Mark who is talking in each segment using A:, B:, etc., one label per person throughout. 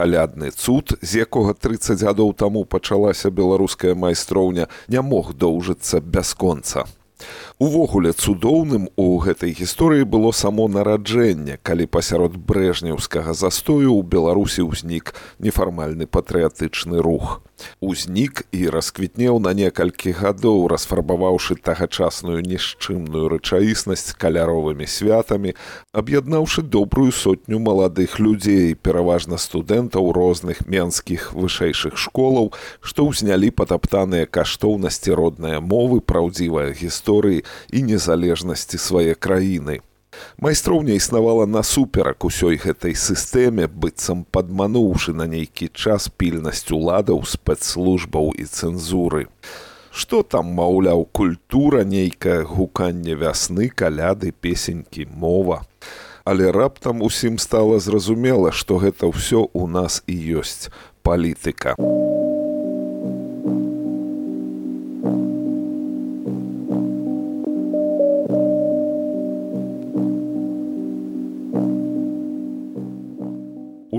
A: калядны цуд, з якога 30 гадоў таму пачалася беларуская майстроўня, не мог доўжыцца бясконца. Увогуле цудоўным у гэтай гісторыі было само нараджэнне, калі пасярод брэжнеўскага застою ў Беларусі ўзнік нефармальны патрыятычны рух. Узнік і расквітнеў на некалькі гадоў, расфарбаваўшы тагачасную нішчымную рэчаіснасць каляровымі святамі, аб'яднаўшы добрую сотню маладых людзей, пераважна студэнтаў розных менскіх вышэйшых школаў, што ўзнялі патаптаныя каштоўнасці роднай мовы, праўдзівай гісторыі і незалежнасці свае краіны. Майстроўня існавала насуперак усёй гэтай сістэме, быццам падмануўшы на нейкі час пільнасць уладаў, спецслужбаў і цэнзуры. Што там, маўляў, культура, нейкае гуканне вясны, каляды, песенькі, мова. Але раптам усім стала зразумела, што гэта ўсё ў нас і ёсць палітыка.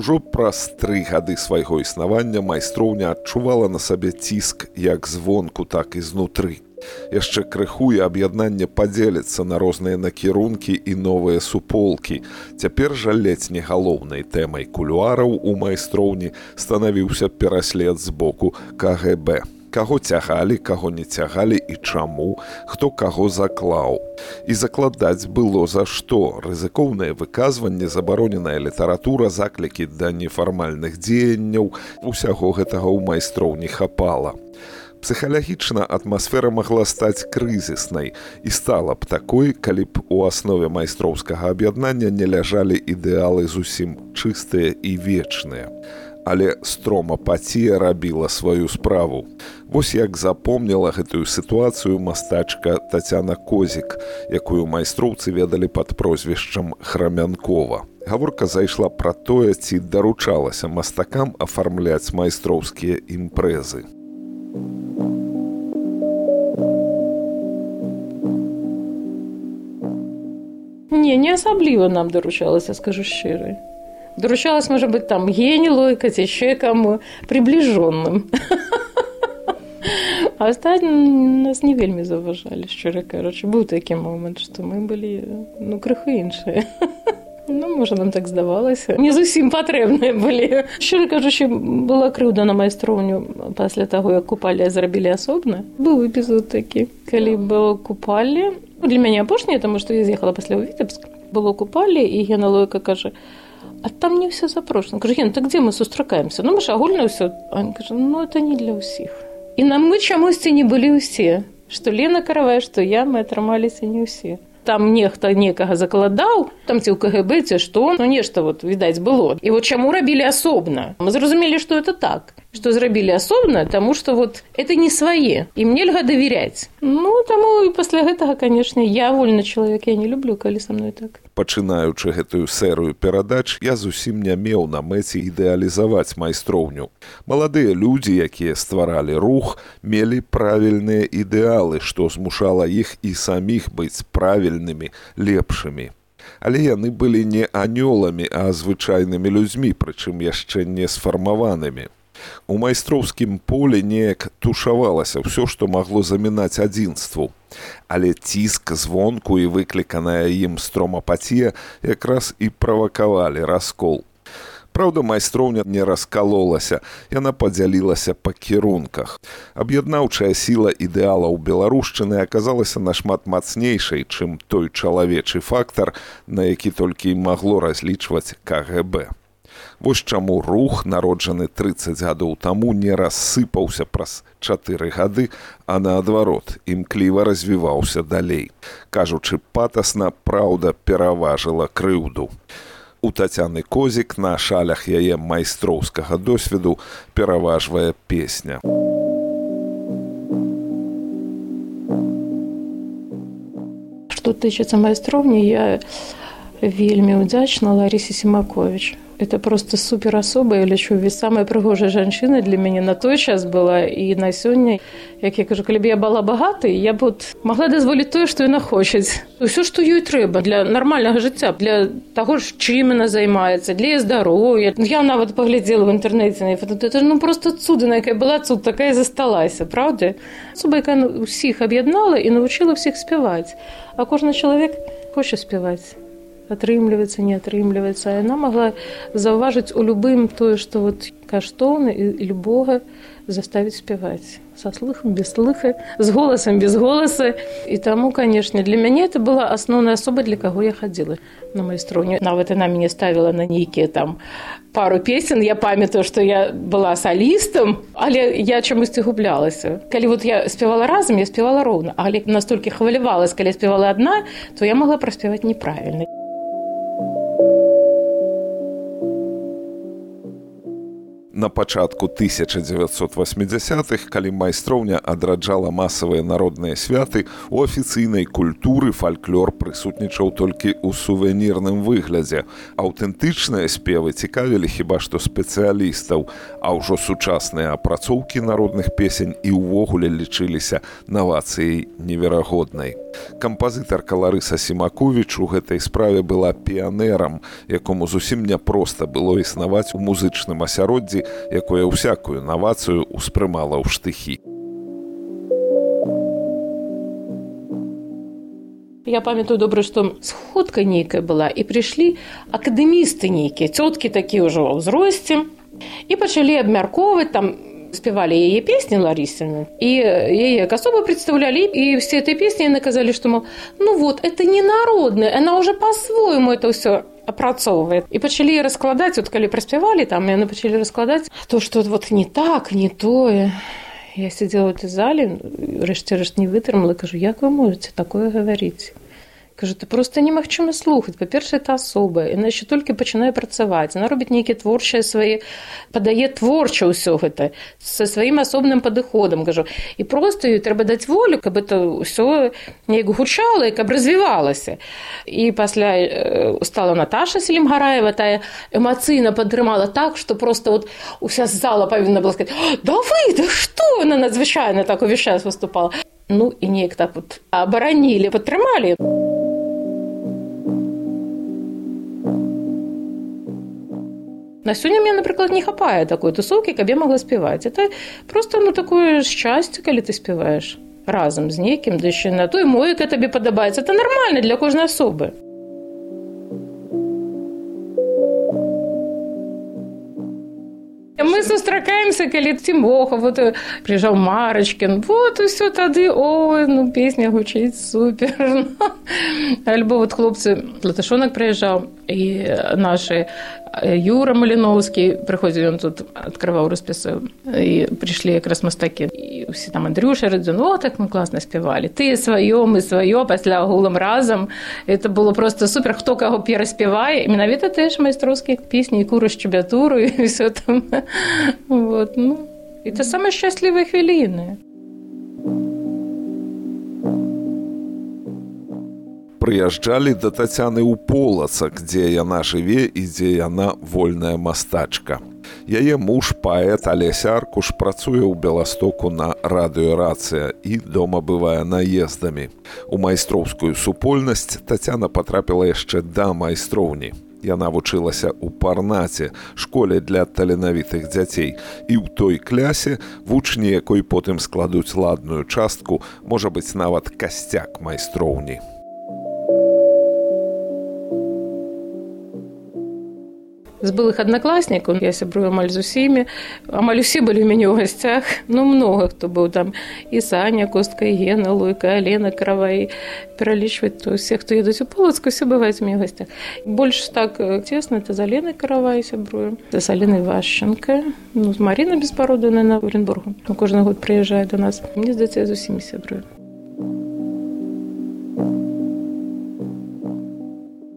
A: Ужо праз 3 гады свайго існавання майстроўня адчувала на сабе ціск як звонку, так і знутры. Яшчэ крыху і аб'яднанне падзеліцца на розныя накірункі і новыя суполкі. Цяпер жа ледзь не галоўнай тэмай кулуараў у майстроўні станавіўся пераслед з боку КГБ. Каго цягалі, каго не цягалі і чаму, хто каго заклаў. І закладаць было за што. Рызыкоўныя выказванні, забароненая літаратура, заклікі да нефармальных дзеянняў, усяго гэтага ў майстроўні хапала. Псіхалагічна атмасфера магла стаць крызіснай і стала б такой, калі б у аснове майстроўскага аб'яднання не ляжалі ідэалы зусім чыстыя і вечныя. Але стромапатія рабіла сваю справу. Вось як запомніла гэтую сітуацыю мастачка Тацяна Козік, якую майстроўцы ведалі пад прозвішчам Храмянкова. Гаворка зайшла пра тое, ці даручалася мастакам афармляць майстроўскія імпрэзы.
B: Не асабліва нам даручалася, скажу шчыра. Доручалось, может быть, там Гене Лойко, еще кому приближенным. А остальные нас не вельми заважали, щиро кажучи. Был такий момент, что мы были, криху іншие. Може, нам так здавалося. Не зовсім потрібні були. Щиро кажучи, була кривда на майстровню після того, як купалі зробили особно. Був епізод такий, коли було купалі. Для мене опошнє, тому що я з'їхала після у Вітебськ. Було купалі, і Гена Лойко каже: а там не все запрошено. Кажу: Ген, так где мы сустракаемся? Мы же огульно все. Он каже: это не для усіх. І нам ми чомусь не були усі. Що Лена Каравай, що я, ми отрималися не усі. Там нехто некага закладаў, там ці ў КГБ, ці што, нешта відаць было. І чаму рабілі асобна? Мы зразумелі, што это так. Што зрабілі асобна, таму што это не свае. Ім нельга давяряць. Таму і пасля гэтага, канешне, я вольны чалавек, я не люблю, калі са мной так.
A: Пачынаючы гэтую серыю перадач, я зусім не меў на мэце ідэалізаваць майстроўню. Маладыя людзі, якія стваралі рух, мелі правільныя ідэалы, што змушала іх і саміх быць правільнымі, лепшымі. Але яны былі не анёламі, а звычайнымі людзьмі, прычым яшчэ не сфармаванымі. У майстроўскім полі неяк тушавалася ўсё, што магло замінаць адзінству. Але ціск звонку і выкліканая ім стромапатія якраз і правакавалі раскол. Праўда, майстроўня не раскалолася, яна падзялілася па кірунках. Аб'яднаўчая сіла ідэалаў беларушчыны аказалася нашмат мацнейшай, чым той чалавечы фактар, на які толькі і магло разлічваць КГБ. Вось чаму рух, народжаны 30 гадоў таму, не рассыпаўся праз 4 гады, а наадварот, імкліва развіваўся далей. Кажучы патасна, праўда пераважыла крыўду. У Тацяны Козік на шалях яе майстроўскага досведу пераважвае песня.
B: Што тычыцца майстроўні, я вельмі ўдзячна Ларысе Сімаковіч. Это просто супер особа, я лічу, ведь самая прыгожая жанчына для мяне на той час была і на сёння. Як я кажу, калі б я была багатай, я б магла дазволіць тое, што яна хоча. Усё, што ёй трэба для нармальнага жыцця, для таго, чым яна займаецца, для здароўя. Я нават паглядзела в інтэрнэце на фото. Это просто цудна, якая была цуд, такая і засталася, правда? Особа, якая ўсіх аб'яднала і навучыла ўсіх спяваць. А кожны чалавек хоча спяваць. Атрымліваецца, не атрымліваецца. А яна магла заўважыць у любым тое, што каштоўна і любога заставіць спяваць. Са слыхам, без слыха, з голасам, без голаса. І таму, канешне, для мяне это была асноўная асоба, для каго я хадзіла на майстроўню. Нават яна мяне ставіла на нейкія там пару песен. Я памятаю, што я была салістам, але я чамусьці гублялася. Калі я спявала разам, я спявала роўна. Але настолькі хвалявалась, калі я спявала адна, то я магла праспяваць неправільна.
A: На пачатку 1980-х, калі майстроўня адраджала масавыя народныя святы, у афіцыйнай культуры фальклор прысутнічаў толькі ў сувенірным выглядзе. Аўтэнтычныя спевы цікавілі хіба што спецыялістаў, а ўжо сучасныя апрацоўкі народных песень і ўвогуле лічыліся навацыяй неверагоднай. Кампазітарка Ларыса Сімаковіч у гэтай справе была піянерам, якому зусім няпроста было існаваць у музычным асяроддзі, якое ўсякую навацыю ўспрымала ў штыхі.
B: Я памятаю добра, што сходка нейкая была, і прыйшлі акадэмісты нейкія, цёткі такія ўжо ва ўзросце, і пачалі абмяркоўваць, там спевали яе песні Ларисины, и яе як особо представляли, и все этой песни наказали, что, мол, это не народное, она уже по-своему это все опрацовывает. И начали раскладать, когда проспевали, там, и начали раскладать то, что не так, не то. Я сидела в этой зале, решт не вытермала, кажу, як вы можете такое говорить? Кажу, це просто немагчыма слухаць. Па-першае, это асоба, яна яшчэ толькі пачынае працаваць. Яна робіць нейкія творчыя свае, падае творча ўсё гэта, са сваім асобным падыходам, кажу. І проста ёй трэба даць волю, каб это ўсё неяк гучала і каб развівалася. І пасля стала Наташа Селімгараева, тая эмацыйна падтрымала так, што просто уся зала павінна была сказаць, да што? Яна надзвычайна так увесь час выступала. І неяк так абаранілі, падтрымалі. На сёння мне, напрыклад, не хапае такой тусоўкі, каб я могла спяваць. Это просто, такое шчасце, калі ты спяваеш разам з некім, да яшчэ на той мове, яка табе падабаецца. Это нармальна для кожнай асобы. Мы сустракаемся, калі Тимоха, приезжал Марочкин, и все тады, песня гучыць супер. Альбо хлопцы, Латышонок приезжал, и наши Юра Малиновский, приходил, он тут открывал расписывал, и пришли как раз мастаки, и все там Андрюша Радзюн, так мы классно спевали. Ты свое, мы свое, пасля гулом разом. Это было просто супер, хто кого пераспевае. Менавіта теж майстровские песни, и куру щебятуру, и все там. Это самые счастливые хвилины.
A: Прыязджалі да Тацяны ў Полацак, дзе яна жыве і дзе яна вольная мастачка. Яе муж, паэт Алеся Аркуш, працуе ў Беластоку на радыёрацыя і дома бывае наездамі. У майстроўскую супольнасць Тацяна патрапіла яшчэ да майстроўні. Яна вучылася ў Парнаце, школе для таленавітых дзяцей, і ў той клясе, вучні якой потым складуць ладную частку, можа быць нават касцяк майстроўні.
B: З былых аднакласнікаў я сябрую амаль з усімі. Амаль усе былі ў мяне ў гасцях. Многа хто быў там. І Саня Костка, і Гена Луйка, Алена Каравай. Пералічваць то ўсе, хто едуць у Полацку, усе бываюць у мяне ў гасцях. Больш так цесна, это з Аленай Каравай сябрую. З Аленай Вашченко. З Марінай Беспароднай на Оренбургу. Кожны год прыязджае да нас. Мне здаецца, я з усімі сябрую.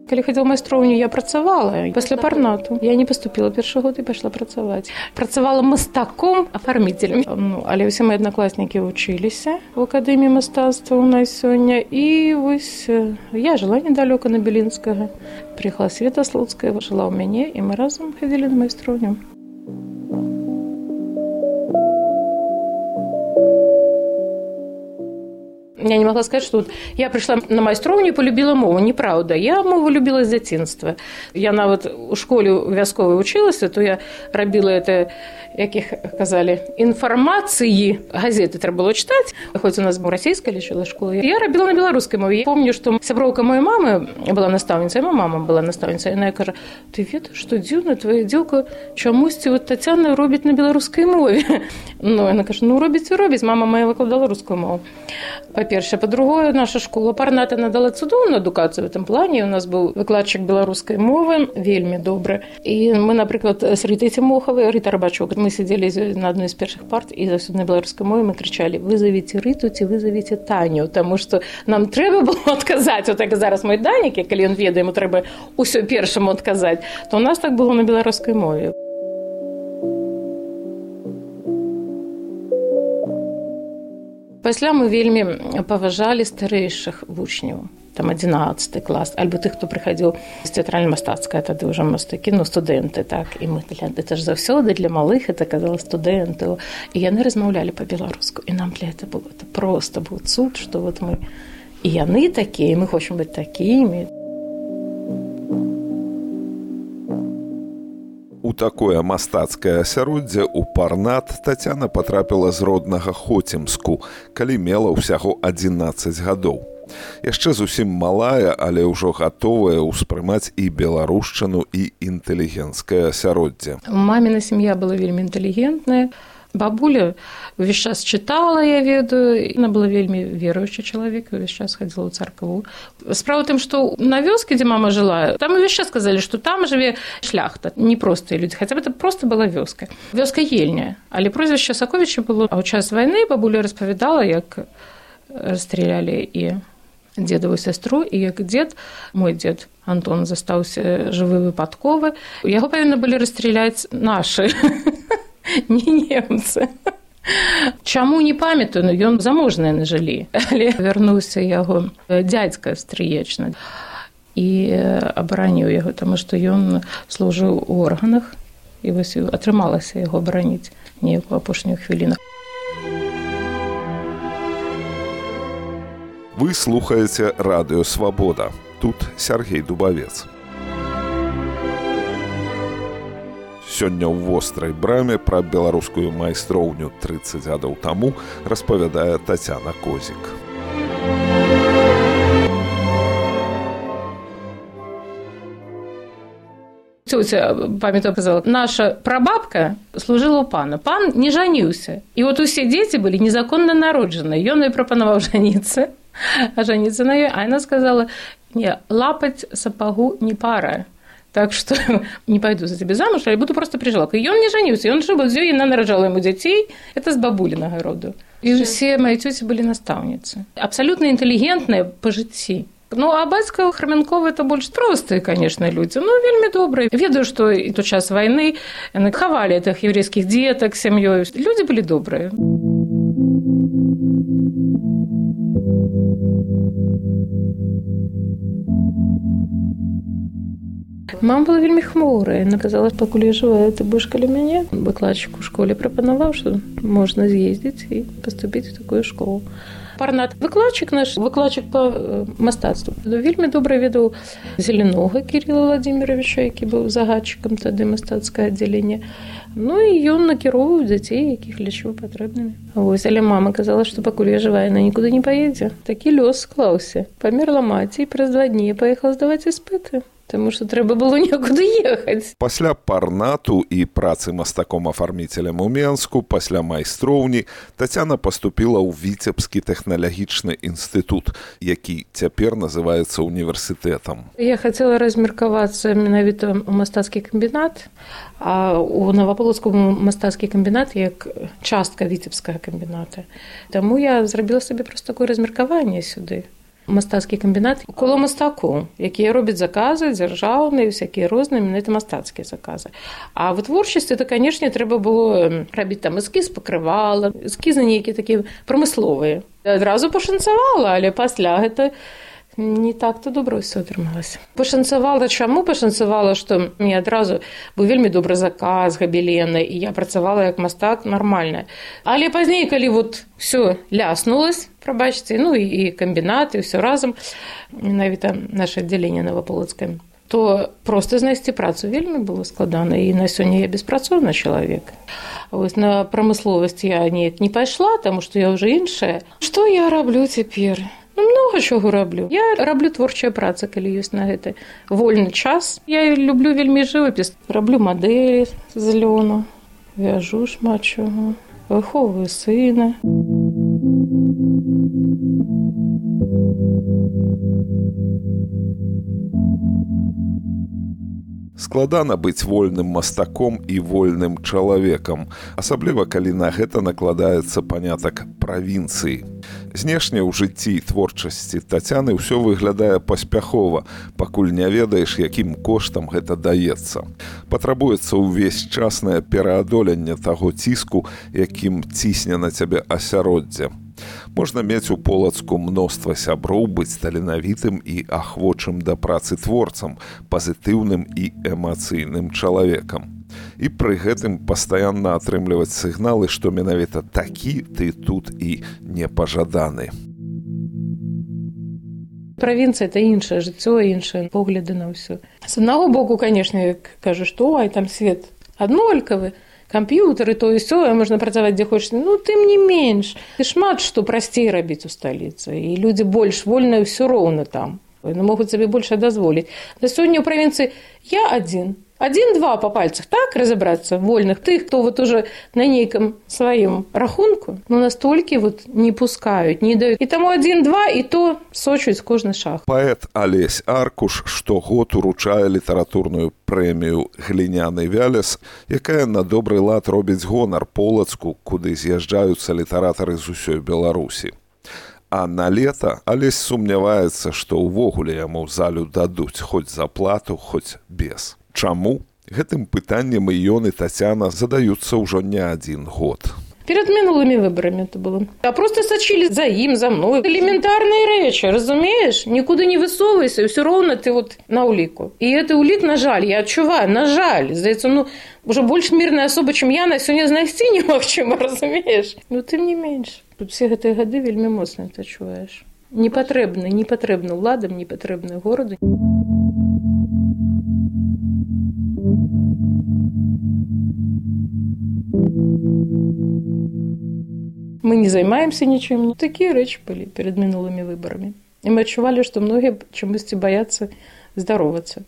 B: Калі хадзіла ў майстроўню, я працавала. Пасля парнату я не паступіла першы год і пайшла працаваць. Працавала мастаком, афарміцелем. Але ўсе мае аднакласнікі вучыліся ў акадэміі мастацтва ў нас сёння. І вось я жыла недалёка на Белінскага. Прыехала Света Слуцкая, жыла ў мяне, і мы разам хадзілі на майстроўню. Я не могла сказать, что вот я пришла на майстроўню і полюбила мову. Неправда. Я мову любила з дзяцінства. Я нават у школе вясковай вучылася, то я рабіла это, як іх казалі, інфармацыі. Газеты трэба было чытаць. Хоць у нас расійская лічыла школа. Я рабіла на беларускай мове. Я помню, што сяброўка моей мамы была настаўніцай, моя мама была настаўніцай. Яна кажа: "Ты ведаеш, што дзіўна, твоя дзелка чамусьці вот Тацяна робіць на беларускай мове". Яна кажа: робіць і робіць. Мама моя выкладала рускую мову. Па-першае, па-другое, наша школа парната надала цудоўную адукацыю в этом плане. У нас быў выкладчык беларускай мовы, вельмі добры. І мы, напрыклад, з Рытай Цімохавай, Рыта Рабачук, мы сидзелі на адной з першых парт, і заўсёды на беларускай мове мы крычалі: "Вызовіце Рыту ці вызовіце Таню", таму што нам трэба было адказаць. Вот як зараз мой Данік, калі ён ведае, яму трэба ўсё першаму адказаць, то у нас так было на беларускай мове. Пасля мы вельмі паважалі старэйшых вучняў, там 11 клас, альбо тых, хто прыхадзіў з тэатральна-мастацкай, тады ўжо мастакі, студэнты, так. І мы, это ж заўсёды для малых, это казала студэнтаў. І яны размаўлялі па-беларуску. І нам для этого было, это просто быў цуд, што вот мы, і яны такія, і мы хочам быць такімі.
A: У такое мастацкае асяроддзе ў парнат Тацяна патрапіла з роднага Хоцімску, калі мела ўсяго 11 гадоў. Яшчэ зусім малая, але ўжо гатовая ўспрымаць і беларушчыну, і інтэлігенцкае асяроддзе.
B: Маміна сям'я была вельмі інтэлігентная. Бабуля увесь час чытала, я ведаю. Яна была вельмі веруючы чалавек, увесь час хадзіла ў царкву. Справа ў тым, што на вёске, дзе мама жыла, там увесь час сказалі, што там жыве шляхта, непростыя людзі, хаця б это проста была вёска. Вёска Ельня, але прозвішча Саковіча было. А ў час вайны бабуля распавядала, як расстралялі і дзедаву сястру, і як дзед, мой дзед Антон, застаўся жывы выпадковы. Яго павінны былі расстраляць нашы, не немцы. Чаму не памятаю, ён заможныя нажылі. Але вярнуўся яго дзядзька стрыечны і абараніў яго, таму што ён служыў у органах, і вось атрымалася яго абараніць неяк у апошнюю хвіліну.
A: Вы слухаеце радыё «Свабода». Тут Сергей Дубавец. Сёння ў вострай браме пра беларускую майстроўню 30 гадоў таму распавядае Тацяна Козік.
B: Цёця, памятаю, казала, наша прабабка служыла ў пана. Пан не жаніўся. І от усе дзеці былі незаконна народжаныя. Ён ёй прапанаваў жаніцца, а жаніцца на ёй. А яна сказала: "Не, лапаць сапагу не пара. Так што не пайду за цябе замуж, але буду просто прыжалкай". Ён не жаніўся, ён жыў з ёй, яна нараджала яму дзяцей. Это з бабулінага роду. І ўсе мае цёці былі настаўніцы. Абсалютна інтэлігентныя па жыцці. А бацька Храмянкова это больш простыя, конечно, людзі, вельмі добрыя. Ведаю, што і то час вайны яны хавалі тых еврейскіх дзетак сям'ёй. Людзі былі добрыя. Мама была вельмі хмурая. Яна казала, што пакуль я жывая, ты будзеш каля мяне. Выкладчык у школе прапанаваў, што можна з'ездзіць і паступіць у такую школу. Парнат. Выкладчык наш, выкладчык па мастацтву. Вельмі добра ведаў Зеленога Кірыла Владзіміровича, які быў загадчыкам тады мастацкае аддзяленне. І ён накіроўваў дзяцей, якіх лічыў патрэбнымі. Але мама казала, што пакуль я жывая, яна нікуды не паедзе. Такі лёс склаўся. Памерла маці, і праз 2 дні паехала здаваць іспыты. Таму што трэба было некуды ехаць.
A: Пасля парнату і працы мастаком-афарміцелем у Менску, пасля майстроўні, Тацяна паступіла ў Віцебскі тэхналагічны інстытут, які цяпер называецца універсітэтам.
B: Я хацела размеркавацца менавіта ў мастацкі камбінат, а у Наваполацкому мастацкі камбінат як частка Віцебскага камбіната. Таму я зрабіла сабе проста такое размеркаванне сюды. Мастацкі камбінат коло мастакоў, якія робяць заказы дзяржаўныя, всякія розныя, менавіта мастацкія заказы. А вытворчасць это, канешне, трэба было рабіць там эскіз пакрывала, эскізы нейкія такія прамысловыя. Адразу пашанцавала, але пасля гэта не так-то добра ўсё атрымалася. Пашанцавала чаму? Пашанцавала, што мне адразу быў вельмі добры заказ габелена, і я працавала як мастак нармальна. Але пазней, калі вот всё ляснулось, прабачце, ну і камбінат, і ўсё разам, менавіта наше аддзяленне наваполацкае, то проста знайсці працу вельмі было складана, і на сёння я беспрацоўны чалавек. Вось на прамысловасць я неяк не пайшла, таму што я ўжо іншая. Што я раблю цяпер? Много чого раблю. Я раблю творчая праца, калі ёсць на гэта вольны час. Я люблю вельмі жывапіс. Раблю мадэлі з лёну, вяжу шмат чого, выхоўваю сына.
A: Складана быць вольным мастаком і вольным чалавекам, асабліва калі на гэта накладаецца панятак правінцыі. Знешне ў жыцці і творчасці Тацяны ўсё выглядае паспяхова, пакуль не ведаеш, якім коштам гэта даецца. Патрабуецца ўвесь часнае пераадоленне таго ціску, якім цісне на цябе асяроддзе. Можна мець у Полацку мноства сяброў, быць таленавітым і ахвочым да працы творцам, пазітыўным і эмацыйным чалавекам. І пры гэтым пастаянна атрымліваць сігналы, што менавіта такі ты тут і непажаданы.
B: Правінцыя – это іншае жыццё, іншыя погляды на ўсё. З аднаго боку, канешне, кажу, што там свет аднолькавы, камп'ютары, то і сё, можна працаваць дзе хочаш. Ну, тым не менш. Ты шмат што прасцей рабіць у сталіцы. І людзі больш вольныя ўсё роўна там. Яны могуць сабе больш дазволіць. На сёння ў правінцыі я адзін. Один-два по пальцах, так разобраться, вольных. Тых, кто вот уже на нейком своем рахунку, но настолько вот не пускают, не дают. И тому 1-2, и то сочуць кожны шаг.
A: Паэт Алесь Аркуш штогод уручае літаратурную прэмію «Гліняны вялес», якая на добры лад робіць гонар Полацку, куды з'язджаюцца літаратары з усёй Беларусі. А на лета Алесь сумняваецца, што ўвогуле яму залю дадуць хоць за плату, хоць без. Чаму? Гэтым пытаннем і ён, і Тацяна задаюцца ўжо не адзін год.
B: Перед минулыми выборами это было. А просто сочили за им, за мной. Элементарные речи, разумеешь? Никуда не высовывайся, и все равно ты вот на улику. И это улик, на жаль, я отчуваю, на жаль. Здається, уже больше мирная особа, чем я, на сёння знайсці немагчыма, разумеешь? Тым не менш. Тут все гэтыя гады вельмі моцна ты адчуваеш. Не патрэбна ўладам, не патрэбна гораду. Мы не займаемся ничем. Такие речи были перед минулыми выборами. И мы отчували, что многие чамусьці боятся здороваться.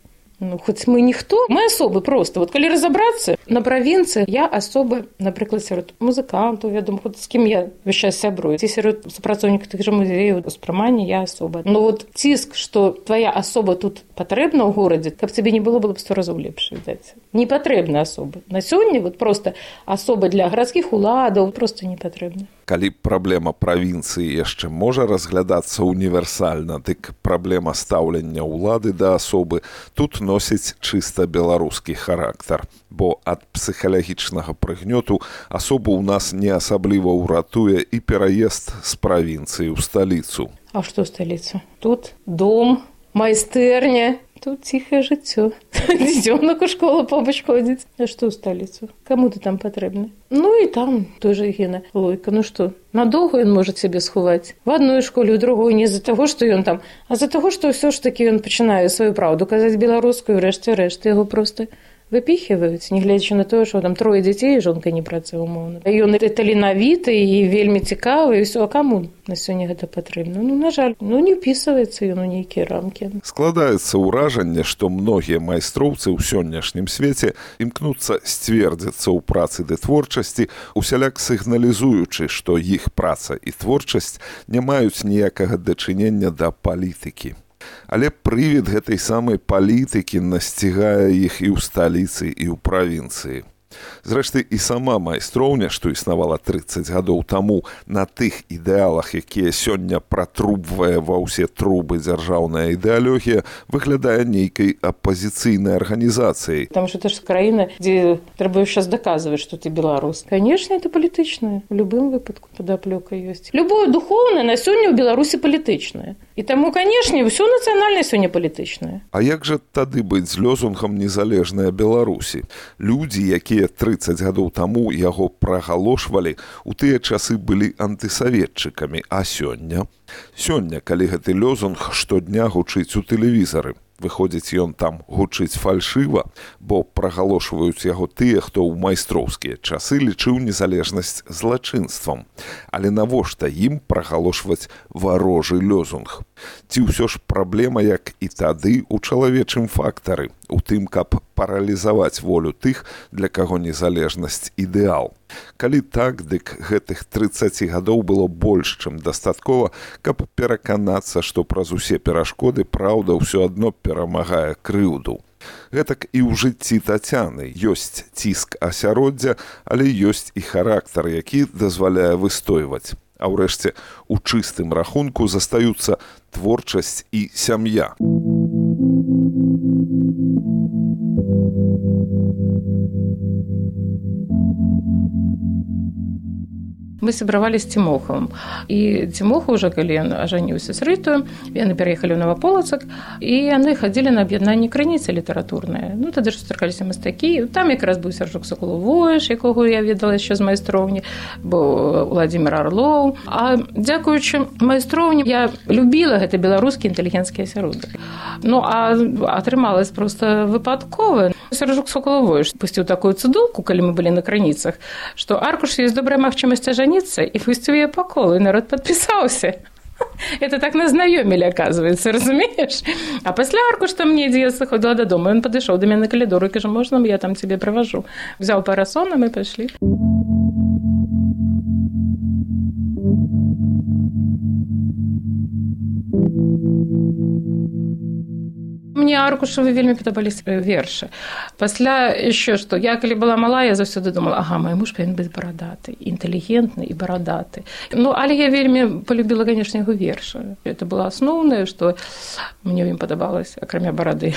B: Хоть мы ніхто, мы особы просто. Вот калі разобраться, на правінцыі я особа, напрыклад, сярод музыкантаў, вядома, з кім я ўвесь час сябрую. Ці сярод супрацоўнікаў тых жа музеяў, успрымання я асоба. Но вот ціск, што твоя асоба тут патрэбна ў горадзе, каб цябе не было б 100 разоў лепш, відаць. Не патрэбна асоба. На сёння вот просто асоба для гарадскіх уладаў просто не патрэбна.
A: Калі праблема правінцыі яшчэ можа разглядацца універсальна, дык праблема стаўлення ўлады да асобы тут носіць чыста беларускі характар, бо ад псіхалагічнага прыгнёту асобу ў нас не асабліва ўратуе і пераезд з правінцыі ў сталіцу.
B: А што сталіца? Тут дом, майстэрня. Тут ціхае жыццё. Дзёнак у школу побач ходзіць. А што ў сталіцу? Каму ты там патрэбны? І там той жа Гена Лойка. Што? Надоўга ён можа сябе сховаць. В адной школе, у другой не з-за таго, што ён там, а з-за таго, што ўсё ж такі ён пачынае сваю праўду казаць беларускую, рэшце яго проста выпіхиваюць, нягледзячы на тое, што там 3 дзяцей і жонка не працуе умоўна. Ён і таленавіты, і вельмі цікавы, і ўсё. А каму на сёння гэта патрэбна? На жаль, не ўпісваецца ён у нейкія рамкі.
A: Складаецца ўражанне, што многія майстроўцы ў сённяшнім свеце імкнуцца сцвердзіцца ў працы ды творчасці, усяляк сігналізуючы, што іх праца і творчасць не маюць ніякага дачынення да палітыкі. Але прывід гэтай самай палітыкі насцігае іх і ў сталіцы, і ў правінцыі. Зрэшты, і сама майстроўня, што існавала 30 гадоў таму, на тых ідэалах, якія сёння пратрубвае ва ўсе трубы дзяржаўная ідэалогія, выглядае нейкай апазіцыйнай арганізацыяй.
B: Потому что это же краіна, дзе трэба сейчас доказывать, что ты беларус. Конечно, это палітычнае. В любым выпадку падаплёка ёсць. Любое духоўнае на сёння ў Беларусі палітычнае. І таму, канешне, ўсё нацыянальнае сёння палітычнае.
A: А як жа тады быць з лёзунгам незалежнай Беларусі? Людзі, якія 30 гадоў таму яго прагалошвалі, у тыя часы былі антысаветчыкамі, а сёння? Сёння, калі гэты лёзунг штодня гучыць у тэлевізары, выходзіць, ён там гучыць фальшыва, бо прагалошваюць яго тыя, хто ў майстроўскія часы лічыў незалежнасць злачынствам. Але навошта ім прагалошваць варожы лёзунг? Ці ўсё ж праблема, як і тады, у чалавечым фактары, у тым, каб паралізаваць волю тых, для каго незалежнасць ідэал. Калі так, дык гэтых 30 гадоў было больш, чым дастаткова, каб пераканацца, што праз усе перашкоды праўда ўсё адно перамагае крыўду. Гэтак і ў жыцці Тацяны ёсць ціск асяроддзя, але ёсць і характар, які дазваляе выстойваць. А ўрэшце, у чыстым рахунку застаюцца творчасць і сям'я.
B: Мы сябравалі з Цімохавым. І Цімоха ўжо, калі ён ажаніўся з Рытою, яны пераехалі ў Новаполацак, і яны хадзілі на аб'яднанне крыніцы літаратурныя. Ну, тады ж сустракаліся мастакі. Там якраз быў Сяржук Сакулавойш, якога я ведала яшчэ з майстроўні, быў Уладзімір Арлоў. А дзякуючы майстроўні я любіла гэты беларускі інтэлігенцкі асяродак. Ну, а атрымалась проста выпадкова. Сяржук Сакулавойш пусціў такую цыдулку, калі мы былі на крыніцах, што аркуш ёсць добрая магчымасць ажаніцца, і пусціў яе па колу, і народ падпісаўся. Это так назнаёмілі, оказывается, разумееш? А пасля аркуша недзе я заходила дадому, ён падышоў да мяне на калідору і кажа, можна, я там цябе праважу. Взяў парасон, а мы пайшлі. Мне аркушавы вельмі падабаліся вершы. Пасля яшчэ што, я калі была малая, я заўсёды думала, ага, мой муж павінен быць барадаты, інтэлігентны і барадаты. Ну, але я вельмі полюбіла, канешне, яго вершы. Это было асноўнае, што мне ім падабалася, акрамя барады.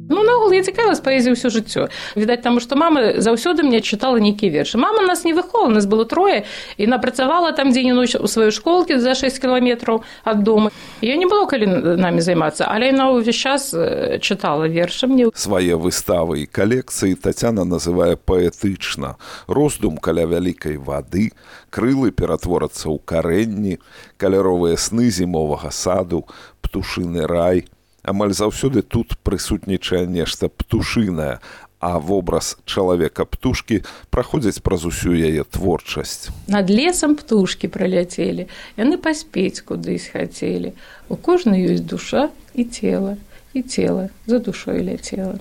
B: Ну, наогул, я цікавилась паэзіяй ўсё жыццё. Відаць, таму што мама заўсёды мне чытала нейкія вершы. Мама нас не выховала, нас было трое, і яна працавала там дзень і ноч у сваёй школке за 6 кіламетраў ад дома. Я не было калі намі займацца, але яна ўвесь час чытала вершы мне.
A: Свае выставы і калекцыі Тацяна называе паэтычна. Роздум каля вялікай вады, крылы ператворацца ў карэнні, каляровыя сны зімовага саду, птушыны рай. Амаль заўсёды тут прысутнічае нешта птушынае, а вобраз чалавека-птушкі праходзіць праз усю яе творчасць.
B: Над лесам птушкі праляцелі, яны паспець кудысь хацелі. У кожнай ёсць душа і цела за душой ляцела.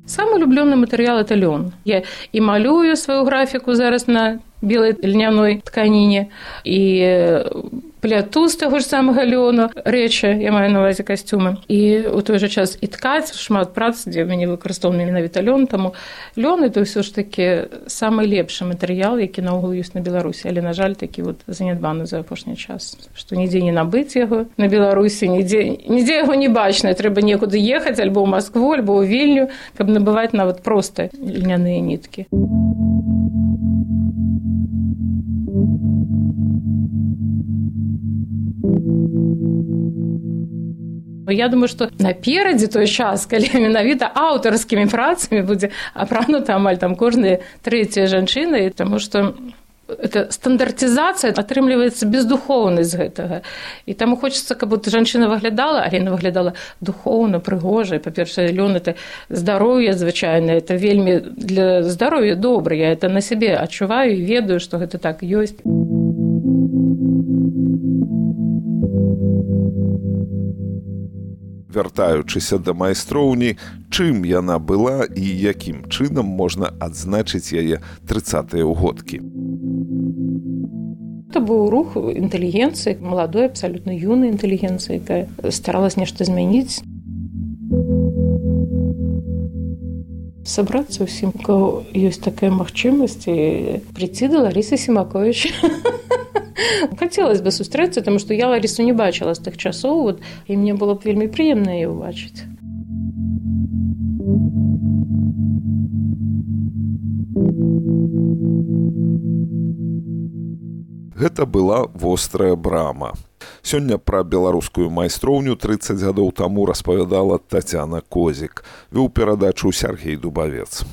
B: Самый улюбленный материал – это лен. Я и малюю свою графику зараз на белой льняной тканине, и пляту з таго ж самага лёну рэчы, я маю на ўвазе касцюмы. І ў той жа час і ткаць, шмат прац, дзе мяне выкарыстоўвалі менавіта лён, таму лён – это ўсё ж такі самы лепшы матэрыял, які наогул ёсць на Беларусі, але, на жаль, такі вот занядбаны за апошні час, што нідзе не набыць яго на Беларусі, нідзе яго не бачна, трэба некуды ехаць, альбо ў Маскву, альбо ў Вільню, каб набываць нават проста льняныя ніткі. Я думаю, што наперадзе той час, калі менавіта аўтарскімі працамі будзе апранута амаль там кожная трэцяя жанчына, таму што это стандартизация атрымліваецца бездухоўнасць гэтага. І таму хочацца, каб жанчына выглядала, але яна выглядала духоўна, прыгожа. Па-першае, лён – это здароўе звычайнае, это вельмі для здароўя добра. Я это на сябе адчуваю і ведаю, што гэта так ёсць.
A: Вяртаючыся да майстроўні, чым яна была і якім чынам можна адзначыць яе 30-е ўгодкі.
B: Это быў рух інтэлігенцыі, маладой, абсалютна юнай інтэлігенцыі, якая старалась нешта змяніць. Сабрацца ўсім, у кого ёсць такая магчымасць, і прийти да Ларісы Семакович. Хацелася бы сустрэцца, таму што я Ларісу не бачыла з тых часоў, і мне было б вельмі прыемна яе ўбачыць.
A: Гэта была вострая брама. Сёння пра беларускую майстроўню 30 гадоў таму распавядала Тацяна Козік. Вёў перадачу Сяргей Дубавец.